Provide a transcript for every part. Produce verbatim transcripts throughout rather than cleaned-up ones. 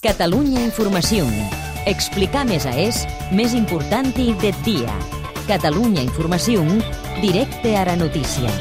Catalunya Informació. Explicar més a és, més important del dia. Catalunya Informació, directe a la notícia.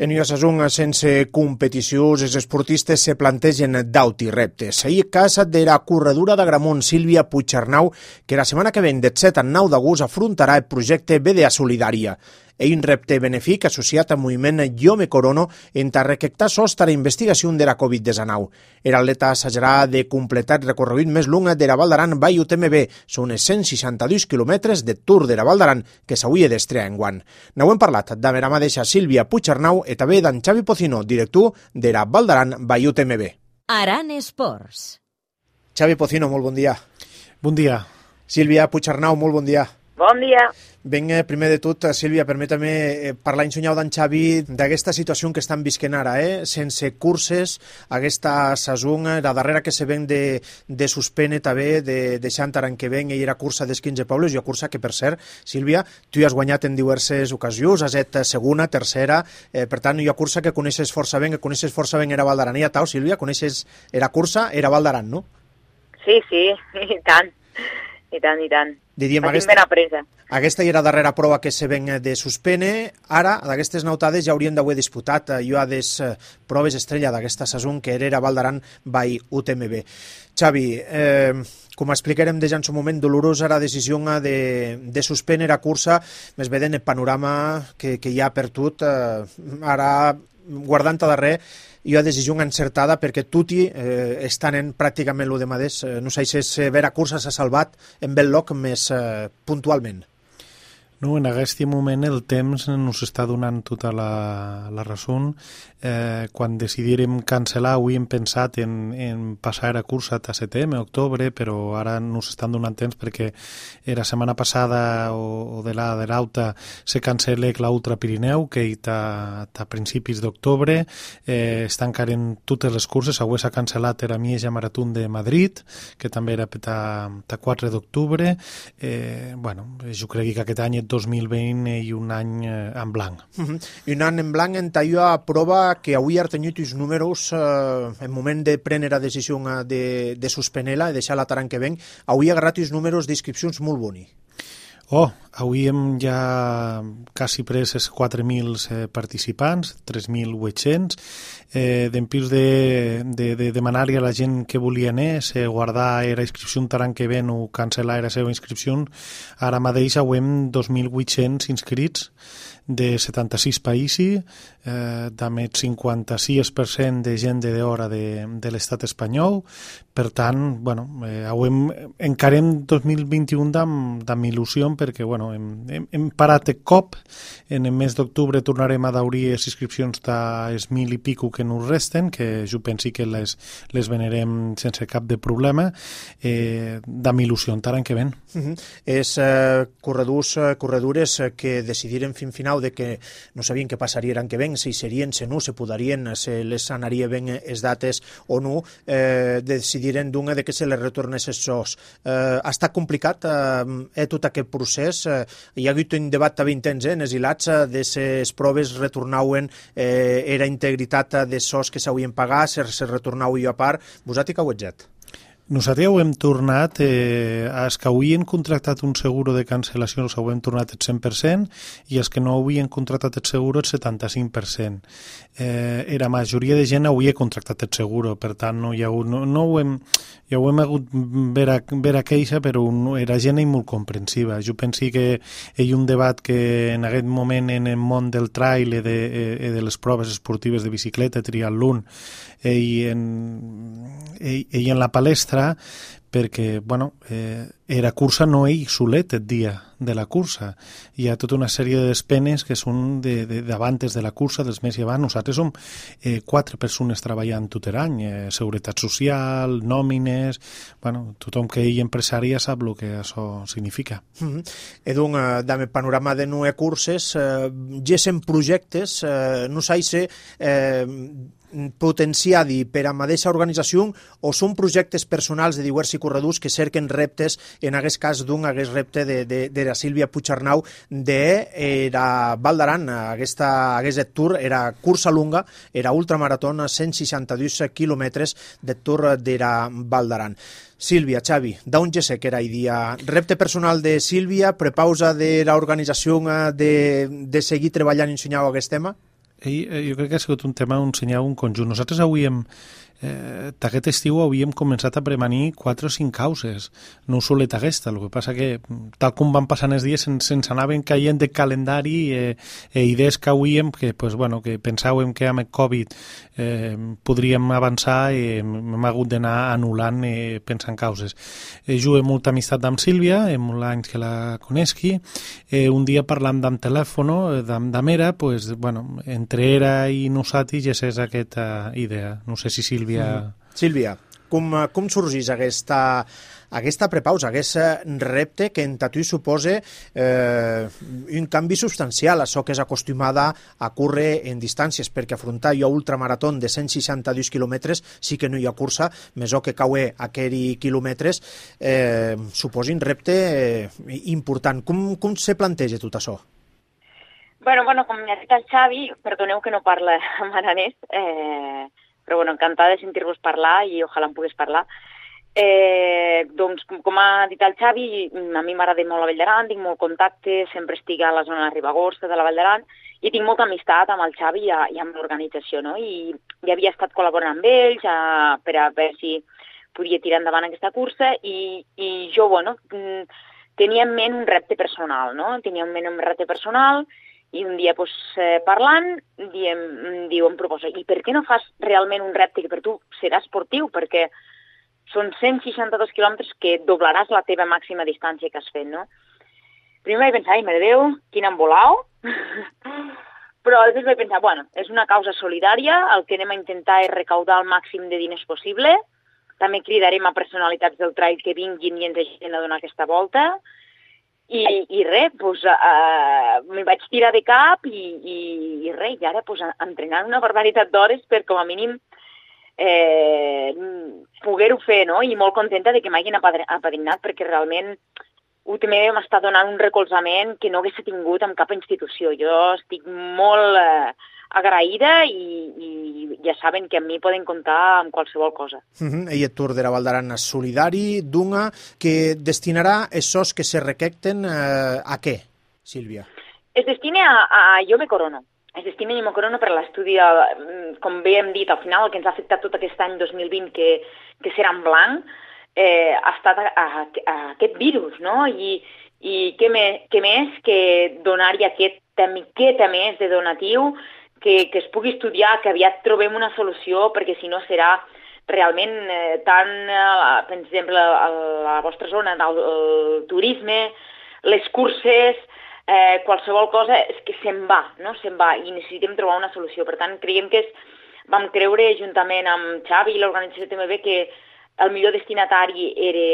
En Iosasung, sense competicions, els esportistes se plantegen dauti reptes. Ahir casa de la corredura d'Agramunt, Sílvia Puigcernau, que la setmana que ven, del set al nou d'agost, afrontarà el projecte B D A Solidària. És un repte benefic associat al moviment Jo me corono entre recaptar sostre a la investigació de la covid diecinueve. L'atleta assajarà de completar el recorregut més long de la Val d'Aran by U T M B. Són cent seixanta-dos quilòmetres de Tour de la Val d'Aran que s'hauria d'estrear enguany. N'heu parlat de la mateixa Sílvia Puigcernau i també d'en Xavi Pocino, director de la Val d'Aran by U T M B. Aran Esports. Xavi Pocino, molt bon dia. Bon dia. Sílvia Puigcernau, molt bon dia. Bon dia. Ben, primer de tot, Sílvia, permeta-me parlar ensenyau d'en Xavi d'aquesta situació que estan visquent ara, eh? Sense curses, aquesta saison, la darrera que se ven de, de suspene també, de, deixant ara que ven, i era cursa dels quinze pobles, i una cursa que, per cert, Sílvia, tu has guanyat en diverses ocasions, has estat segona, tercera, eh, per tant, hi ha cursa que coneixes força ben, que coneixes força ben era Val d'Aran. I a tau, Sílvia, coneixes era cursa, era Val d'Aran, no? Sí, sí, i tant, i tant, i tant. Diríem, Estic aquesta, ben apresa. aquesta era la darrera prova que se ven de suspene. Ara, d'aquestes nautades ja haurien d'haver disputat jo a des proves estrella d'aquesta saison que era Val d'Aran by U T M B. Xavi, eh, com explicarem des en su moment, dolorosa la decisió de, de suspendre la cursa, més bé en el panorama que, que hi ha per tot. Eh, ara, guardant a darrer, hi ha decisió encertada perquè tutti eh, estan en pràcticament el de mateix. Eh, no sé si és vera cursa s'ha salvat en bel lloc més eh, puntualment. No, en aquest moment el temps ens està donant tota la, la raó. Eh, quan decidirem cancel·lar, avui hem pensat en, en passar a cursa a setembre, octubre, però ara ens estan donant temps perquè la setmana passada o, o de la de l'auta se cancel·la l'Ultra Pirineu, que està a principis d'octubre. Eh, estan encara totes les curses. Avui s'ha cancel·lat la Mieja Maratón de Madrid, que també era a quatre d'octubre. Eh, bueno, jo crec que aquest any dos mil vint i un any en blanc. Uh-huh. I un any en blanc en tallo a prova que avui ha tingut els números eh, en moment de prendre la decisió de, de suspendre-la i deixar-la taran que ven. Avui ha agarrat els números d'inscripcions molt boni. Oh, avui hem ja quasi pres els quatre mil participants, tres mil vuit-cents. Eh, D'empís de, de, de demanar-li a la gent que volia anar, si guardar la inscripció taran que ven o cancel·lar la seva inscripció, ara mateix hem dos mil vuit-cents inscrits de setanta-sis països, eh, també el cinquanta-sis per cent de gent de d'hora de, de l'estat espanyol. Per tant, bueno, eh, hem, encarem dos mil vint-i-u amb, amb il·lusió perquè bueno, hem, hem, hem parat de cop. En el mes d'octubre tornarem a daurir les inscripcions dels mil i pico que ens resten, que jo pensi que les, les venerem sense cap de problema, eh, amb il·lusió taran que ven. Uh-huh. És eh, corredors, eh, corredures eh, que decidiren fin final de que no sabien què passaria l'any que ven, si serien, si no, se podarien, se les anaria ben les dates o no, eh, decidiren d'una de que se les retornés els sous. Eh, ha estat complicat eh, tot aquest procés. Eh, hi ha hagut un debat també intens eh, en els hilats eh, de les proves retornaven eh, era integritat de sous que s'havien pagat, se, se retornau jo a part. Vosaltres que ho ets? Nosaltres ho hem tornat, eh, els que havien contractat un seguro de cancel·lació ho hem tornat el cent per cent i els que no havien contractat el seguro el setanta-cinc per cent. Eh, la majoria de gent havia contractat el seguro, per tant no hi ha hagut, no, no ho hem, ja ho hem hagut ver a, ver a queixa, però no, era gent molt comprensiva. Jo penso que hi ha un debat que en aquest moment en el món del trail i de, eh, de les proves esportives de bicicleta, triatlon, eh, i, en, i, i en la palestra, perquè, bueno, eh, la cursa no és solet el dia de la cursa. Hi ha tota una sèrie de despenes que són de, de, d'abantes de la cursa, dels més i abans. Nosaltres som eh, quatre persones treballant tot l'any, eh, seguretat social, nòmines, bueno, tothom que hi empresària sap el que això significa. Mm-hmm. Edu, eh, dame panorama de nou curses, eh, gesen projectes, eh, no sé si... Eh, potenciadi per a mateixa organització o són projectes personals de diversos corredors que cerquen reptes, en aquest cas d'un hagués repte de, de, de la Sílvia Puigcernau de era Val d'Aran, aquesta aquest tour era cursa lunga, era ultramarató, cent seixanta-dos quilòmetres de tour de la Val d'Aran. Sílvia, Xavi, d'on ja sé que era idea? Repte personal de Sílvia, prepausa de l'organització de, de seguir treballant i ensenyar aquest tema? I, jo crec que ha sigut un tema on ensenyar un conjunt. Nosaltres avui hem, eh, d'aquest estiu havíem començat a premanir quatre o cinc causes, no solet aquesta, el que passa que tal com van passant els dies se'ns, se'ns anaven caient de calendari eh, eh, idees que hauríem, que, pues, bueno, que pensàvem que amb el Covid eh, podríem avançar i eh, hem hagut d'anar anul·lant eh, pensant causes. Eh, jo he molta amistat amb Sílvia, he molt anys que la coneixi, eh, un dia parlant amb telèfon d'am, d'am era, pues, bueno, entre era i nosaltres ja és aquesta idea. No sé si Sílvia... Mm. Sílvia, com, com sorgís aquesta, aquesta prepausa, aquest repte que en tu suposa eh, un canvi substancial, això que és acostumada a córrer en distàncies, perquè afrontar jo ultramarató de cent seixanta-dos quilòmetres sí que no hi ha cursa, més o que cauer aquells quilòmetres eh, suposa un repte eh, important. Com, com se planteja tot això? Bueno, bueno, com ja ha dit el Xavi, perdoneu que no parla en aranès, eh, però bueno, encantada de sentir-vos parlar i ojalà em pogués parlar. Eh, doncs, com ha dit el Xavi, a mi m'agrada molt la Vall d'Aran, tinc molt contacte, sempre estic a la zona de Ribagorça, de la Vall d'Aran, i tinc molta amistat amb el Xavi i, i amb l'organització, no? I ja havia estat col·laborant amb ells a, per a veure si podia tirar endavant aquesta cursa i, i jo, bueno, tenia en ment un repte personal, no? Tenia en ment un repte personal i un dia pues, eh, parlant, diem, diu, em proposa, i per què no fas realment un repte que per tu serà esportiu? Perquè són cent seixanta-dos quilòmetres que doblaràs la teva màxima distància que has fet, no? Primer vaig pensar, ai, mare Déu, quin embolao. Però després vaig pensar, bueno, és una causa solidària, el que anem a intentar és recaudar el màxim de diners possible, també cridarem a personalitats del trail que vinguin i ens ajudin a donar aquesta volta, I, i res, doncs, uh, m'hi vaig tirar de cap i, i, i res, i ara doncs, entrenant una barbaritat d'hores per com a mínim eh, poder-ho fer, no? I molt contenta de que m'hagin apadrinat perquè realment U T M B m'està donant un recolzament que no hagués tingut en cap institució. Jo estic molt eh, agraïda i, i ja saben que amb mi poden comptar amb qualsevol cosa. Uh-huh. I el Tour de la Val d'Aran és solidari, d'una que destinarà essos que se requecten eh, a què, Sílvia? Es destina a, a Jo me corono. Es destina a Jo me corono per l'estudi, com bé hem dit, al final el que ens ha afectat tot aquest any dos mil vint, que, que serà en blanc, eh, ha estat a, a, a aquest virus, no? I, i què, me, què més que donar-hi aquesta miqueta més de donatiu, que, que es pugui estudiar, que aviat trobem una solució, perquè si no serà realment eh, tant, eh, per exemple, a la vostra zona, el, el turisme, les curses, eh, qualsevol cosa, és que se'n va, no? Se'n va, i necessitem trobar una solució. Per tant, creiem que és, vam creure, juntament amb Xavi i l'organització T M B, que el millor destinatari era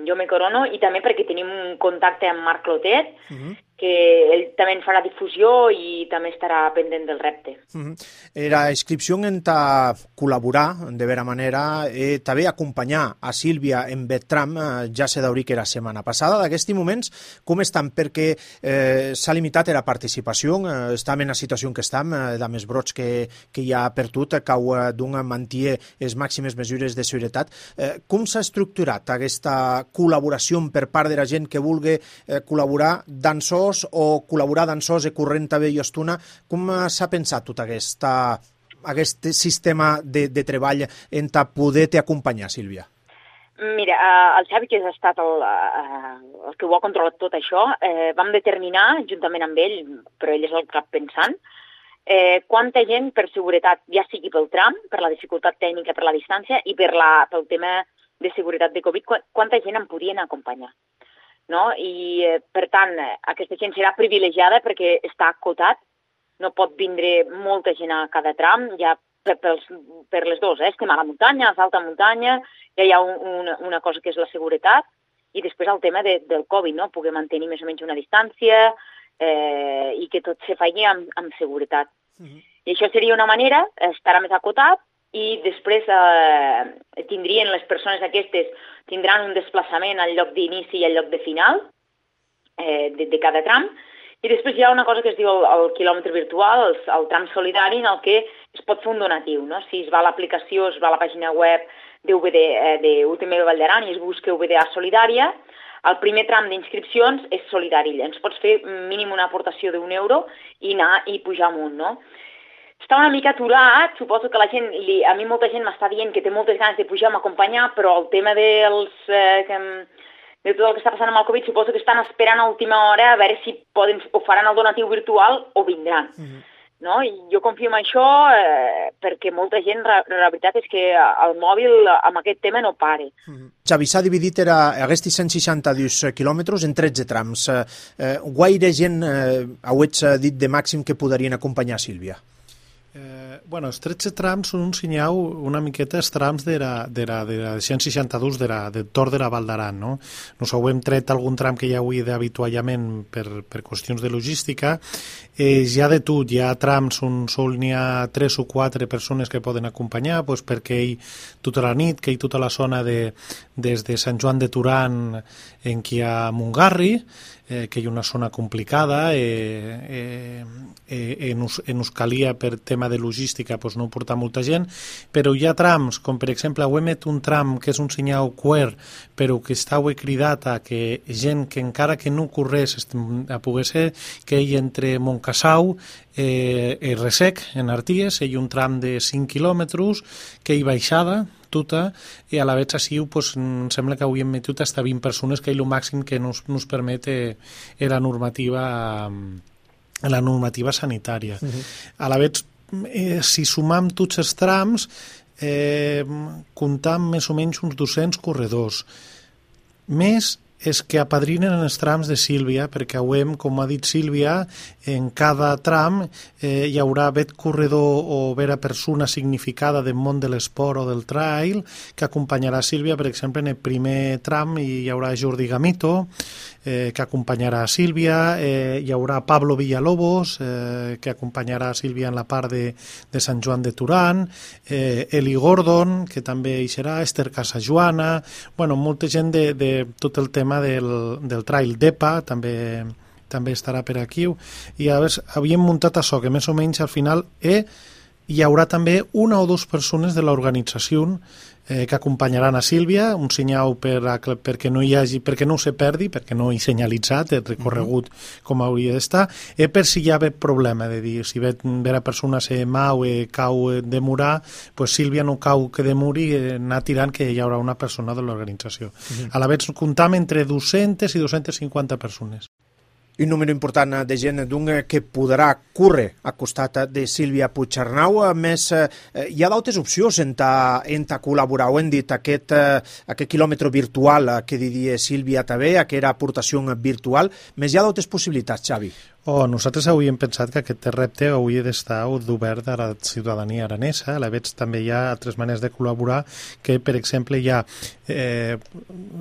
Jo me corono, i també perquè tenim un contacte amb Marc Clotet, uh-huh. que ell també en farà difusió i també estarà pendent del repte. Uh-huh. La inscripció en ta col·laborar, de vera manera, eh, també acompanyar a Sílvia en Betram, eh, ja se d'obrir que era setmana passada. D'aquests moments, com estan? Perquè eh, s'ha limitat la participació, eh, estem en la situació en què estem, eh, de més brots que, que hi ha per tot, cau eh, d'un mantier les màximes mesures de seguretat. Eh, com s'ha estructurat aquesta col·laboració per part de la gent que vulgui eh, col·laborar d'ansos o col·laborar d'ansos i corrent també i estona? Com s'ha pensat tot aquesta, aquest sistema de, de treball en ta poder-te acompanyar, Sílvia? Mira, el Xavi, que ha estat el, el que ho ha controlat tot això, eh, vam determinar, juntament amb ell, però ell és el cap pensant, eh, quanta gent per seguretat, ja sigui pel tram, per la dificultat tècnica, per la distància i per la, pel tema de seguretat de Covid, quanta gent em podien acompanyar. No? I, eh, per tant, aquesta gent serà privilegiada perquè està acotat, no pot vindre molta gent a cada tram, ja per, per, per les dues, eh? Estem a la muntanya, a l'alta muntanya, ja hi ha un, una, una cosa que és la seguretat, i després el tema de, del Covid, no? Poder mantenir més o menys una distància eh, i que tot se faci amb, amb seguretat. Uh-huh. I això seria una manera, estarà més acotat, i després eh, tindrien les persones aquestes, tindran un desplaçament al lloc d'inici i al lloc de final eh, de, de cada tram, i després hi ha una cosa que es diu el, el quilòmetre virtual, el, el tram solidari, en el que es pot fer un donatiu, no? Si es va a l'aplicació, es va a la pàgina web de U B D, eh, de U T M B Vall d'Aran i es busca U B D A Solidària, el primer tram d'inscripcions és solidari, ens pots fer mínim una aportació d'un euro i anar i pujar amunt, no? Està una mica aturat, suposo que la gent, li, a mi molta gent m'està dient que té moltes ganes de pujar, m'acompanyar, però el tema dels, eh, que, de tot el que està passant amb el Covid, suposo que estan esperant a última hora a veure si poden, o faran el donatiu virtual o vindran. Mm-hmm. No? I jo confio en això eh, perquè molta gent, la, la veritat és que el mòbil amb aquest tema no pare. Mm-hmm. Xavi, s'ha dividit era, aquests cent seixanta-dos quilòmetres en tretze trams. Eh, guaire gent eh, hauets dit de màxim que podrien acompanyar Sílvia? Eh, bueno, els tretze trams són un senyal una miqueta els trams de la, de la, de la cent seixanta-dos de la, del Tor de la Val d'Aran, no? Nos hem tret algun tram que ja avui d'avituallament per, per qüestions de logística. Eh, ja de tot, hi ha trams on sol n'hi ha tres o quatre persones que poden acompanyar, pues perquè ell tota la nit, que ell tota la zona de, des de Sant Joan de Turan en qui hi ha Montgarri, eh, que hi ha una zona complicada, eh, eh, eh, en, us, en us calia per tema de logística pues no portar molta gent, però hi ha trams, com per exemple ho emet un tram que és un senyal queer, però que està cridat a que gent que encara que no corrés a poder ser que ell entre Montcassau eh, i Resec, en Arties, hi ha un tram de cinc quilòmetres que hi baixada tota, i a la vez així pues, em sembla que avui hem metut fins a vint persones, que és el màxim que nos, nos permet eh, la normativa la normativa sanitària. Uh-huh. A la vez, eh, si sumam tots els trams, eh, comptam més o menys uns dos-cents corredors. Més és que apadrinen els trams de Sílvia, perquè avui, com ha dit Sílvia, en cada tram eh, hi haurà vet corredor o vera persona significada del món de l'esport o del trail que acompanyarà Sílvia. Per exemple, en el primer tram hi haurà Jordi Gamito, eh, que acompanyarà Sílvia, eh, hi haurà Pablo Villalobos, eh, que acompanyarà Sílvia en la part de, de Sant Joan de Turan, eh, Eli Gordon, que també hi serà, Esther Casajoana, bueno, molta gent de, de tot el tema del, del trail d'E P A també, també estarà per aquí, i a veure, havíem muntat això, que més o menys al final eh, hi haurà també una o dues persones de l'organització eh, que acompanyaran a Sílvia, un senyal per a, perquè no hi hagi, perquè no se perdi, perquè no hi senyalitzat el recorregut uh-huh. com hauria d'estar, eh, per si hi ha problema, de dir, si ve la persona se mau e cau demorar, pues Sílvia no cau que demori, eh, anar tirant que hi haurà una persona de l'organització. Uh-huh. A la vez comptam entre dues-centes i dues-centes cinquanta persones. Un número important de gent que podrà córrer a costat de Sílvia Puigcernau. A més, hi ha d'altres opcions en ta, en ta col·laborar. Ho hem dit, aquest, aquest quilòmetre virtual que diria Sílvia també, aquesta aportació virtual. Més hi ha d'altres possibilitats, Xavi? Oh, nosaltres havíem pensat que aquest repte hauria d'estar obert a la ciutadania aranesa. A la vegada també hi ha altres maneres de col·laborar, que per exemple hi ha eh,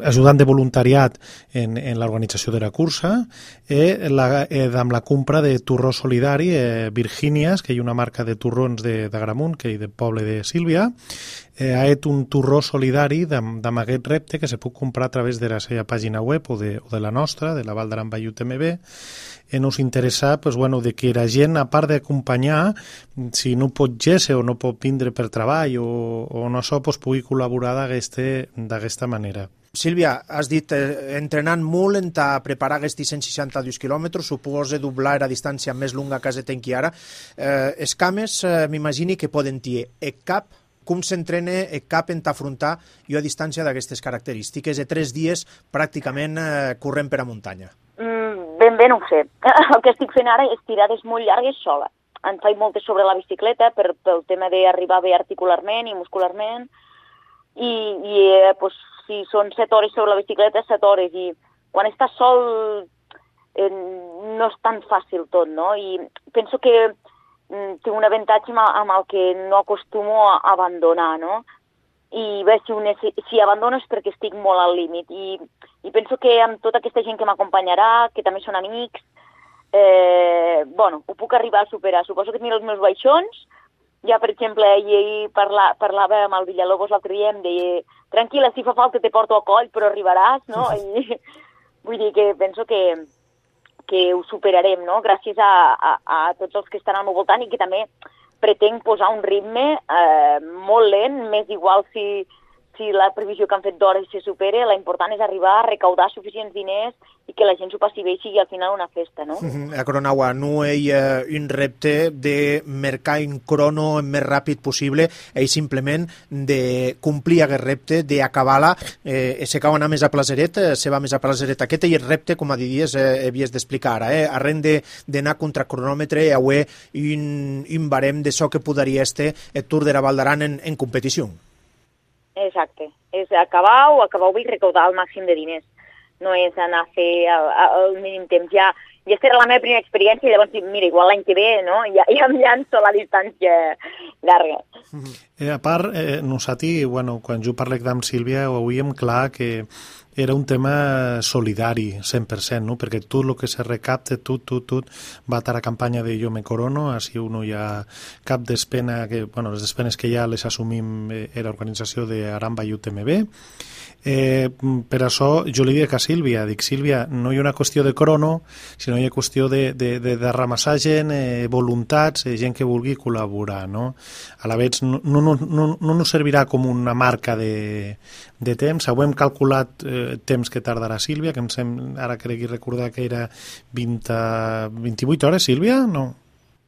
ajudant de voluntariat en, en l'organització de la cursa, eh, la, eh, amb la compra de torró solidari eh, Virgínies, que hi ha una marca de torrons de, de Gramunt, que hi del poble de Sílvia. Eh, ha fet un torró solidari amb aquest repte que se pot comprar a través de la seva pàgina web o de, o de la nostra, de la Val d'Aran Vall U T M B. Eh, nos interessa pues, bueno, de que la gent, a part d'acompanyar, si no pot géixer o no pot vindre per treball o, o no això, pues, pugui col·laborar d'aquesta manera. Sílvia, has dit, eh, entrenant molt en ta preparar aquests cent seixanta-dos quilòmetres, suposa doblar la distància més longa que se tenqui ara. Eh, els cames, eh, m'imagini que poden dir e cap, com s'entrena e cap en t'afrontar jo a distància d'aquestes característiques de tres dies pràcticament eh, corrent per a muntanya? Mm, ben bé no ho sé. El que estic fent ara és tirades molt llargues sola. En faig moltes sobre la bicicleta per, pel tema d'arribar bé articularment i muscularment, i, i eh, pues, si són set hores sobre la bicicleta, set hores, i quan estàs sol eh, no és tan fàcil tot, no? I penso que mm, tinc un avantatge amb, amb el que no acostumo a abandonar, no? I bé, si, un, si, si abandono és perquè estic molt al límit, i, i penso que amb tota aquesta gent que m'acompanyarà, que també són amics, eh, bueno, ho puc arribar a superar. Suposo que tenia els meus baixons. Ja, per exemple, ahir parla, parlava amb el Villalobos l'altre dia, em deia, tranquil·la, si fa falta te porto a coll, però arribaràs, no? I vull dir que penso que, que ho superarem, no? Gràcies a, a, a tots els que estan al meu voltant i que també pretenc posar un ritme eh, molt lent, m'és igual si, si la previsió que han fet d'hores se supera, l'important és arribar a recaudar suficients diners i que la gent s'ho passi bé i sigui al final una festa, no? Mm-hmm. A Cronaua, no hi ha un repte de mercar un crono el més ràpid possible, i simplement de complir aquest repte, d'acabar-la, eh, se cau anar més a Plaseret, se va més a Plaseret. Aquest és el repte, com a diries, eh, havies d'explicar ara, eh? Arren d'anar contra cronòmetre i haver un, un barem de so que podria estar el Tour de la Val d'Aran en, en competició. Exacte, és acabar o acabar i recaudar el màxim de diners. No és anar a fer el, el mínim temps. Ja, ja serà la meva primera experiència i llavors, mira, igual l'any que ve, no? Ja, ja em llanço a la distància llarga. Eh, a part, eh, nosaltres, bueno, quan jo parlec amb Sílvia, ho hauríem clar que era un tema solidari, cent per cent, no? Perquè tot el que se recapte, tot, tot, tot, va a la campanya de Jo me corono, així uno hi ha cap despena, que, bueno, les despenes que ja les assumim eh, era l'organització d'Aramba i U T M B. Eh, per això jo li dic a Sílvia, dic, Sílvia, no hi ha una qüestió de crono, sinó hi ha qüestió de, de, de, de ramassar gent, eh, voluntats, eh, gent que vulgui col·laborar, no? A la vegada no, no, no, no, no ens servirà com una marca de, de temps. Ho hem calculat eh, temps que tardarà Sílvia, que em sembla, ara crec recordar que era vint, vint-i-vuit hores, Sílvia? No?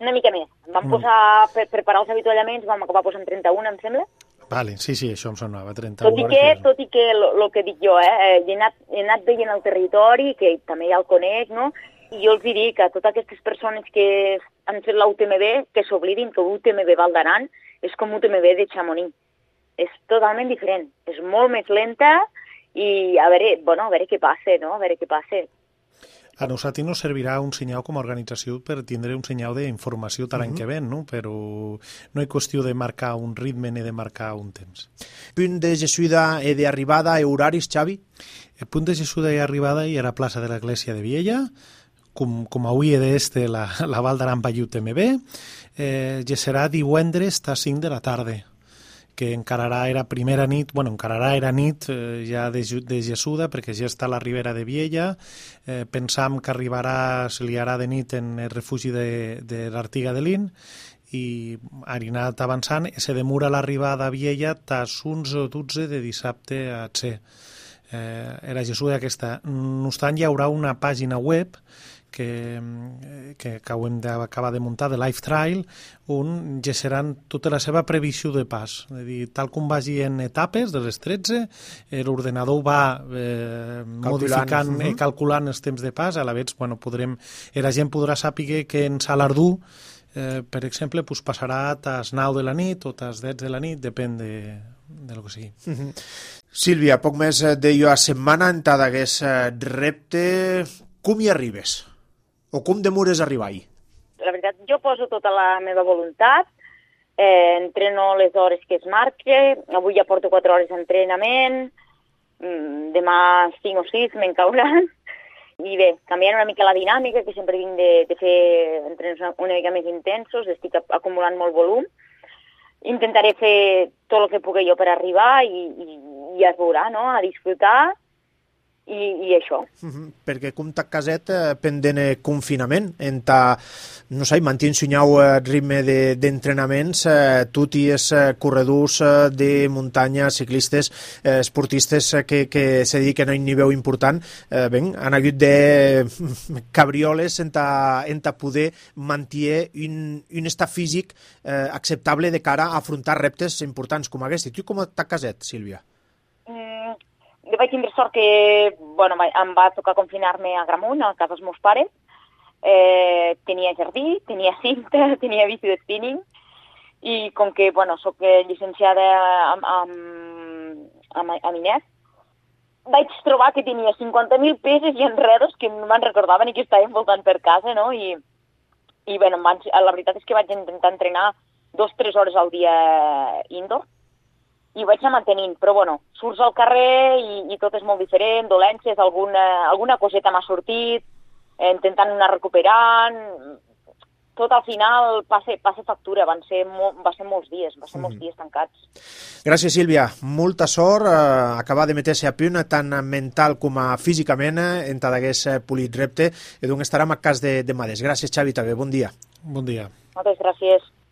Una mica més. Vam Mm. posar, per preparar els avituallaments, vam acabar posant trenta-un, em sembla. Vale, sí, sí, això em sonava, trenta-u Tot i hores. que, que- tot i que el que dic jo, eh, he anat, he anat veient el territori, que també ja el conec, no? I jo els dic a totes aquestes persones que han fet la U T M B que s'oblidin que U T M B Val d'Aran és com U T M B de Chamonix. És totalment diferent, és molt més lenta i a veure, bueno, a veure què passa, no? A veure què passa. A nosaltres nos servirà un senyal com a organització per tindre un senyal d'informació de l'any Mhm. que ven, no? Però no hi qüestió de marcar un ritme ni de marcar un temps. Punt de Jessuda i d'arribada i horaris, Xavi? El punt de Jesús i arribada i era a plaça de l'església de Viella, com, com avui d'este la, la Val d'Aran va U T M B, eh, ja serà divendres a cinc de la tarda, que encararà era primera nit, bueno, encararà era nit eh, ja de, Ju- de Jessuda, perquè ja està a la ribera de Viella, eh, pensam que arribarà, se li harà de nit en el refugi de, de l'Artiga de Lin, i ha anat avançant, se demora l'arribada a Viella tas onze o dotze de dissabte a C. Eh, era Jessuda aquesta. No obstant, hi haurà una pàgina web que, que acabem d'acabar de muntar, de Life Trail, on ja seran tota la seva previsió de pas. És a dir, tal com vagi en etapes de les tretze, l'ordenador va eh, modificant i mhm. calculant els temps de pas, a la vegada, bueno, podrem, la gent podrà saber que en Salardú, eh, per exemple, pues, passarà a tas nou de la nit o tas deu de la nit, depèn de, de lo que sigui. Mhm. Sílvia, poc més de jo a setmana en tant d'aquest repte. Com hi arribes? O com demores a arribar-hi? La veritat, jo poso tota la meva voluntat, eh, entreno les hores que es marque, avui ja porto quatre hores d'entrenament, mm, demà cinc o sis me'n cauran, i bé, canviant una mica la dinàmica, que sempre vinc de, de fer entrenos una, una mica més intensos, estic acumulant molt volum, intentaré fer tot el que pugui jo per arribar i, i, i ja es veurà, no?, a disfrutar, i, i això. Mhm. Perquè com ta caset eh, pendent eh, confinament, en ta, no sé, mantint sunyau eh, ritme de- d'entrenaments, eh, tot i els eh, corredors eh, de muntanya, ciclistes, eh, esportistes eh, que, que se dediquen a un nivell important, eh, ben, han hagut de cabrioles en ta, en ta poder mantenir un, un estat físic eh, acceptable de cara a afrontar reptes importants com aquest. I tu com ta caset, Sílvia? Mm, jo vaig tindre sort que, bueno, va- em va tocar confinar-me a Gramunt, a casa dels meus pares. Eh, tenia jardí, tenia cinta, tenia bici de spinning, i com que, bueno, soc eh, llicenciada amb, amb, amb, amb Inés, vaig trobar que tenia cinquanta mil peces i enredos que no me'n recordaven i que estaven voltant per casa, no? I, i bueno, em van, la veritat és que vaig intentar entrenar dos o tres hores al dia indoor, i ho vaig anar mantenint, però bueno, surts al carrer i, i tot és molt diferent, dolències, alguna, alguna coseta m'ha sortit, eh, intentant anar recuperant, tot al final passa, passa factura, van ser, mo, va ser molts dies, va ser molts dies tancats. Gràcies, Sílvia. Molta sort, eh, acabar de meter-se a punt, tant mental com a físicament, en tot aquest polit repte, i doncs estarem a cas de, de Mades. Gràcies, Xavi, també. Bon dia. Bon dia. Moltes gràcies.